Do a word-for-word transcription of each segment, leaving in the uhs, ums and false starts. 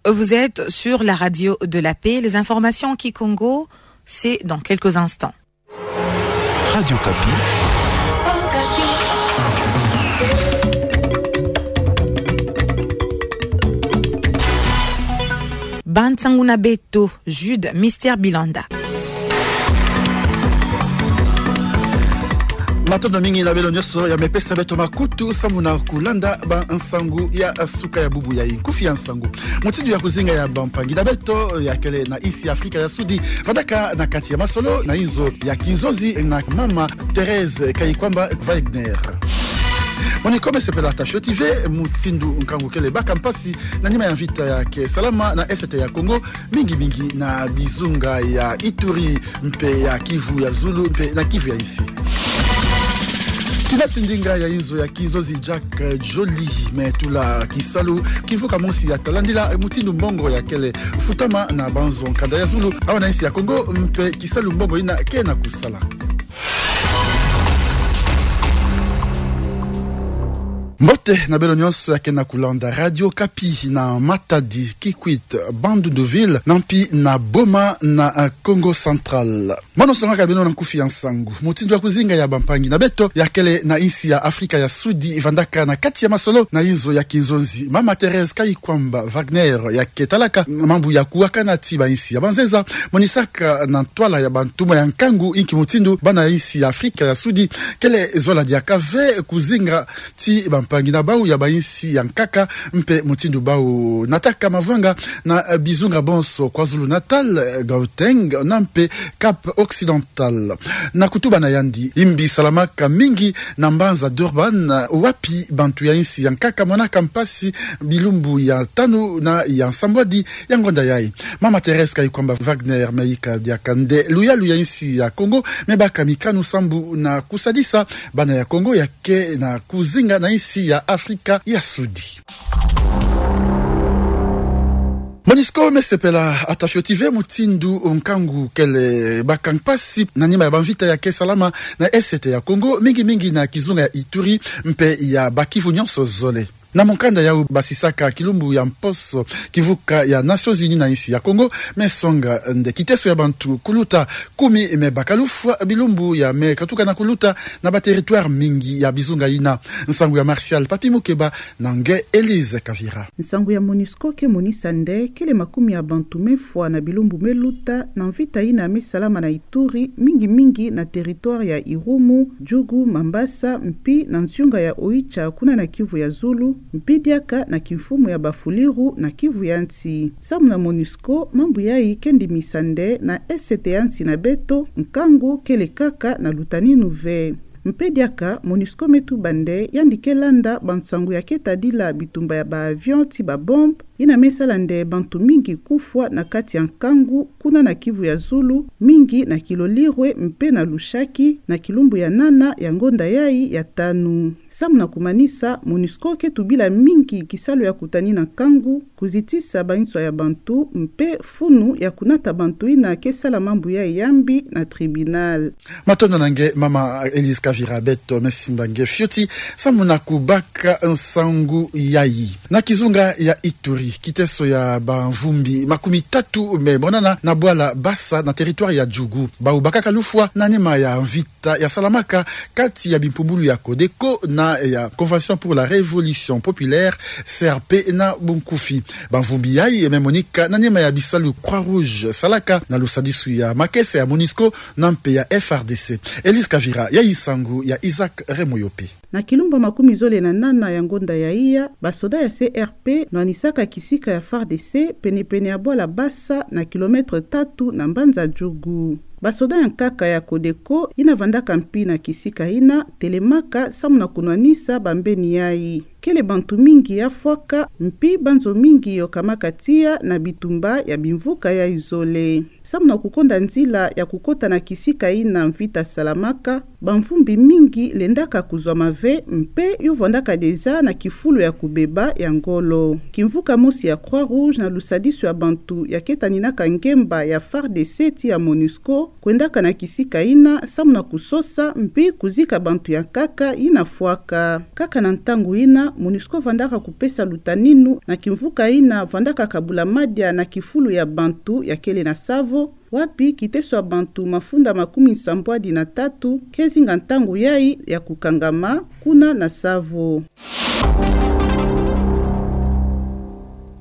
Vous êtes sur la radio de la paix. Les informations en kikongo, c'est dans quelques instants. Radio Okapi. Ba nsangu na beto, Jude Mister Bilanda. Matondo mingi na beno nyonso ya me pesa beto makutu samu na kulanda ba nsangu ya suka ya bubu yayi. Nkufi ya nsangu. Mutindu ya kuzinga ya bampangi na beto ya kele na insi ya Afrika ya Sudi vandaka na kati ya masolo na inzo ya kinzonzi na Mama Thérèse Kayikwamba Wagner. MONUSCO me sepela ata fioti ve mutindu nkangu kele baka mpasi na nima ya mvita ya ke salama na Est ya Congo, mingi mingi na bizunga ya Ituri mpe ya Kivu ya Zulu mpe na Kivu ya Insi. Kina ti ndinga ya inzo ya kinzonzi Jack Joly me tula kisalu kimvuka mosi ya talandila mutindu mbongo ya kele futama na banzo nkanda ya zulu awa na insi ya Congo mpe kisalu mbongo ina ke na kusala. Mbote na beno nyonso ya ke na kulanda Radio Okapi na Matadi, Kikwit, Bandundu-Ville, na mpi na Boma na, eh, Kongo Central. Mono songaka beno na nkufi ya nsangu. Mutindu ya kuzinga ya bampangi na beto ya kele na insi ya Afrika ya Sudi vandaka na kati ya masolo na inzo ya kinzonzi Mama Thérèse Kayikwamba Wagner ya ke talaka mambu ya kuwakana ti ba insi ya banzenza, monisaka na ntwala ya bantumwa ya nkangu inki mutindu bana ya insi ya Afrika ya Sudi kele zola diaka ve kuzinga ti bampangi na bau ya ba insi ya nkaka mpe mutindu bau nataka mavwanga na, eh, bizunga bonso KwaZulu-Natal, eh, Gauteng, na mpe Cap-Occidental. Na kutuba na yandi, imbi salamaka mingi na mbanza Durban, eh, wapi bantu ya insi ya nkaka monaka mpasi bilumbu ya tanu na ya nsambwadi ya ngonda yayi. Mama Thérèse Kayikwamba Wagner me yika diaka nde luyalu ya insi ya Congo, me baka mikanu sambu na kusadisa bana ya Congo ya ke na kuzinga na insi ya Afrika ya Sudi. MONUSCO me sepela ata fioti ve mutindu nkangu kele baka mpasi na nima ya bamvita ya ke salama na Est ya Congo, mingi mingi na kizunga ya Ituri mpe ya Bas-Kivu nyonso zole. Na mukanda yau basisaka kilumbu ya mposo kivuka ya Nations Unies na insi ya Congo me songa nde kiteso ya bantu kuluta kumi me baka lufwa bilumbu ya me katuka na kuluta na ba territoire mingi ya bizunga ina. Nsangu ya Martial Papi Mukeba na nge Elise Kavira. Nsangu ya MONUSCO ke monisa nde kele makumi ya bantu me fwa na bilumbu me luta na mvita ina me salama na Ituri, mingi mingi na territoire ya Irumu, Djugu, Mambasa, mpi na nsiunga ya Oicha kuna na Kivu ya Zulu, mpi diaka na kimfumu ya Bafuliru na Kivu ya Nsi. Samu na MONUSCO, mambu yayi ke ndimisa nde na Est ya nsi na beto, nkangu kele kaka na lutaninu ve. Mpe diaka, MONUSCO me tuba nde yandi ke landa bansangu ya ke tadila bitumba ya ba avion ti ba bombe, ina me sala nde bantu mingi kufwa na kati ya nkangu kuna na Kivu ya Zulu, mingi na Kilolirwe mpe na Lushaki, na kilumbu ya nana ya ngonda yayi ya tanu. Samu na kumanisa, MONUSCO ke tubila mingi kisalu ya kutanina nkangu, kuzitisa banswa ya bantu, mpe funu ya kunata bantu ina ke sala mambu yayi ya mbi na tribunal. Matondo na nge Mama Elise Kavira, beto me simba nge fioti samu na kubaka nsangu yayi. Na kizunga ya Ituri, kiteso ya bamvumbi makumi tatu me monana na bwala Bassa na territoire ya Djugu. Bau bakaka lufwa na nima ya mvita ya salamaka kati ya bimpumbulu ya Codeco na ya Convention pour la Révolution Populaire, C R P na bunkufi. Bamvumbi yayi me monika na nima ya bisalu Croix-Rouge salaka na lusadisu ya makesa ya MONUSCO na mpe ya F R D C. Elise Kavira, yayi nsangu ya Isaac Remoyope. Na kilumbu makumi zole na nana ya ngonda ya iya, basoda ya C R P nwanisaka kisika ya F A R D C penepene ya bwala Bassa na kilomètre tatu na mbanza Djugu. Basoda ya nkaka ya Codeco ina vandaka mpi na kisika ina telemaka samu na kunwanisa bambeni yayi. Kele bantu mingi ya fwaka, mpi banzo mingi yokamaka tiya na bitumba ya bimvuka yayi zole. Samu na kukonda nzila ya kukota na kisika ina mvita salamaka, bamvumbi mingi lendaka kuzwama ve, mpe yo vwandaka déjà na kifulu ya kubeba ya ngolo. Kimvuka mosi ya Croix-Rouge na lusadisu ya bantu ya ke taninaka ngemba ya F A R D C ti ya MONUSCO, kwendaka na kisika ina samu na kusosa mpi kuzika bantu ya nkaka ina fwaka. Kaka na ntangu ina, MONUSCO vandaka kupesa lutaninu na kimvuka ina vandaka kabula madia na kifulu ya bantu ya kele na savo, wapi kiteso ya bantu mafunda makumi nsambwadi na tatu ke zinga ntangu yai ya kukangama kuna na savo.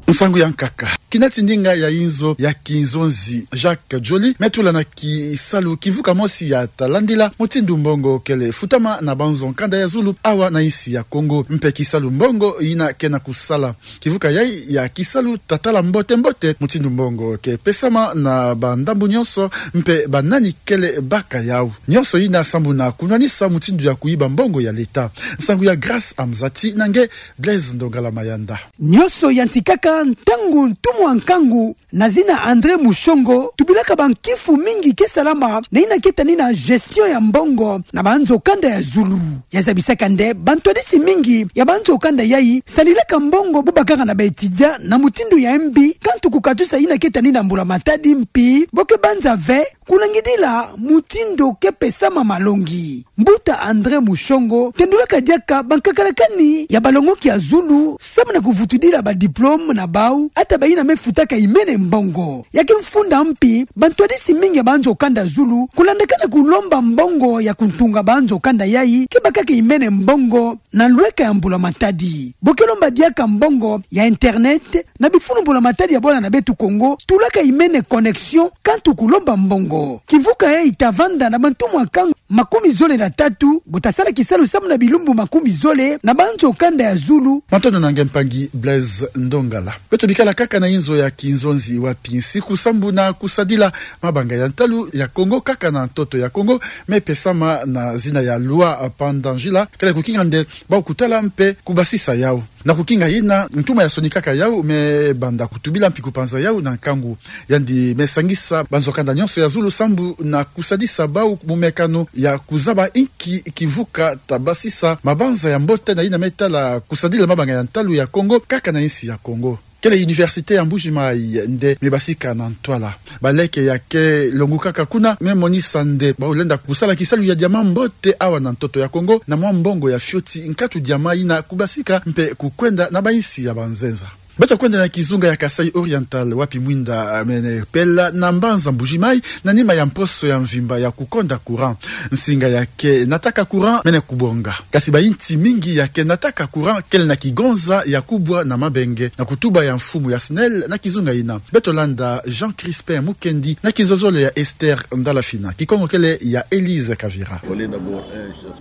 Nsangu ya nkaka. Kina ti ndinga ya inzo ya kinzonzi Jacques Joly me tula na kisalu kimvuka mosi ya ta landila mutindu mbongo kele futama na banzo nkanda ya zulu awa na insi ya Kongo. Mpe kisalu mbongo ina ke na kusala. Kimvuka yai ya kisalu ta tala mbote-mbote mutindu mbongo ke pesama na bandambu nyonso mpe banani kele baka yau. Nyonso ina sambu na kunwanisa mutindu ya kuyiba mbongo ya leta. Nsangu ya Grâce Amzati na nge Blaise Ndongala Mayanda. Nyonso yantikaka ntangu ntumwa nkangu na zina André Mushongo tubilaka bankifu mingi ke salama na ina ke tani na gestion ya mbongo na banzo kanda ya zulu. Ya zabisaka nde bantwadisi mingi ya banzo kanda yai salilaka mbongo bo bakaka na ba étudiant na mutindu ya mbi, kantu kukatusa ina ke tani na mbula matadi mpi bo ke banza ve kunangidila mutindu ke pesama malongi. Mbuta André Mushongo tendulaka diaka bankakala kani ya balongoki ya zulu samu na kuvutudila ba diplôme na bau, ata baina me futaka imene mbongo. Ya ke mfunda mpi bantwadisi mingi ya banzo kanda zulu kulandakana kulomba mbongo ya kuntunga banzo kanda yai ke bakaka imene mbongo na lweka ya mbula matadi. Bo ke lomba diaka mbongo ya internet na bifulu mbula matadi ya bwala na beto Kongo tulaka imene connexion, kantu kulomba mbongo. Kimvuka yai ta vanda na bantumwa nkangu makumi zole na tatu bo ta sala kisalu samu na bilumbu makumi zole na banzo kanda ya zulu. Matondo na nge mpangi Blaise Ndongala. Beto bikala kaka na inzo ya kinzonzi wapi nsiku sambu na kusadila mabanga ya ntalu ya Kongo kaka na ntoto ya Kongo me pesama na zina ya loi Pandangila kele kukinga nde bau kutala mpe kubasisa yau. Na kukinga ina, ntumwa ya sonikaka yau me banda kutubila mpi kupanza yau na nkangu. Yandi me sangisa banzo kanda nyonso ya zulu sambu na kusadisa bau mumekano ya kuzaba inki kimvuka ta basisa mabanza ya mbote na ina me tala kusadila mabanga ya ntalu ya Kongo kaka na insi ya Kongo. Kele Université ya Mbuji-Mayi nde me basika na ntwala. Baleke ya ke longukaka kuna me monisa nde bau lenda kusala kisalu ya diamant mbote awa na ntoto ya Kongo na mwa mbongo ya fioti nkatu diamant ina kubasika mpe kukwenda na bainsi ya banzenza. Beto kwenda na kizunga ya Kasaï Oriental wapi mwinda mene pela na mbanza Mbuji-Mayi na nima ya mposo ya mvimba ya kukonda courant. Nsinga ya ke nataka courant mene kubonga. Kasi bainti mingi ya ke nataka courant kele na kigonza ya kubwa na mabenge na kutuba ya mfumu ya SNEL na kizunga ina. Beto landa Jean Crispin Mukendi na kizozolo ya Esther Ndalafina. Kikongo kele ya Elise Kavira.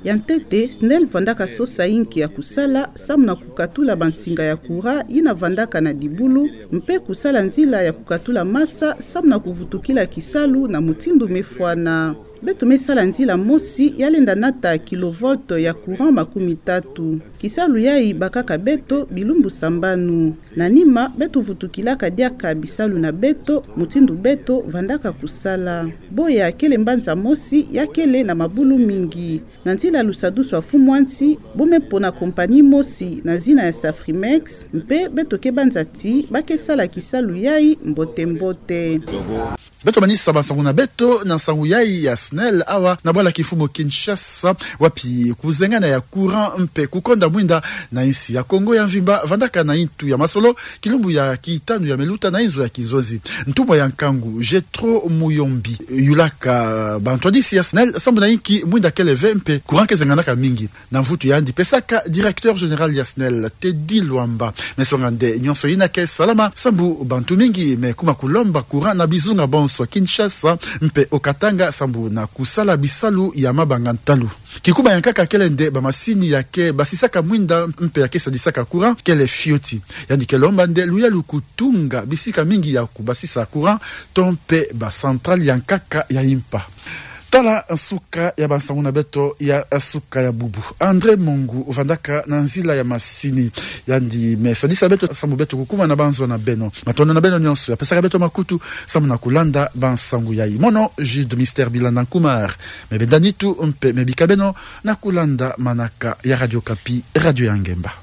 Ya ntete, SNEL vandaka sosa inki ya kusala samu na kukatula bansinga ya courant ina vandaka na dibulu, mpe kusala nzila ya kukatula masa samu na kuvutukila kisalu na mutindu me fwana. Beto me sala nzila mosi ya lenda nata kilovolt ya courant makumi tatu. Kisalu yai bakaka beto bilumbu sambanu. Na nima, beto vutukilaka diaka bisalu na beto, mutindu beto vandaka kusala. Boya kele mbanza mosi ya kele na mabulu mingi. Na nzila lusadusu ya Mfumu a nsi, bo me pona compagnie mosi na zina ya Safrimex, mpe beto ke banza ti ba ke sala kisalu yai mbote-mbote. Beto manisa bansangu na beto na nsangu yai ya SNEL awa na bwala kimfumu Kinshasa, wapi kuzengana ya courant mpe kukonda mwinda na insi ya Kongo ya mvimba vandaka na intu ya masolo, kilumbu ya kitanu ya me luta na inzo ya kinzonzi. Ntumwa ya nkangu, Jethro Muyombi, yulaka bantwadisi ya SNEL sambu na inki mwinda kele ve mpe courant ke zenganaka mingi. Na mvutu yandi pesaka, directeur général ya SNEL, Teddy Luamba, me songa nde nyonso ina ke salama sambu bantu mingi me kuma kulomba courant na bizunga bonso Kinshasa mpe Haut-Katanga sambu na kusala bisalu ya mabanga ntalu. Kikuma ya nkaka kele nde bamasini ya ke basisaka mwinda mpe ya ke sadisaka courant kele fioti. Yandi ke lomba nde luyalu kutunga bisika mingi ya kubasisa courant to mpe ba centrale ya nkaka ya impa. Tala nsuka ya bansangu na beto ya nsuka ya bubu. André Mongu vandaka na nzila ya masini. Yandi me sadisa beto sambu beto kukuma na banzo na beno. Matondo na beno nyonso ya pesaka beto makutu sambu na kulanda bansangu yai. Mono Jude Mister Bilana Nkumar. Me benda nitu mpe me bika beno na kulanda manaka ya Radio Okapi, radio ya ngemba.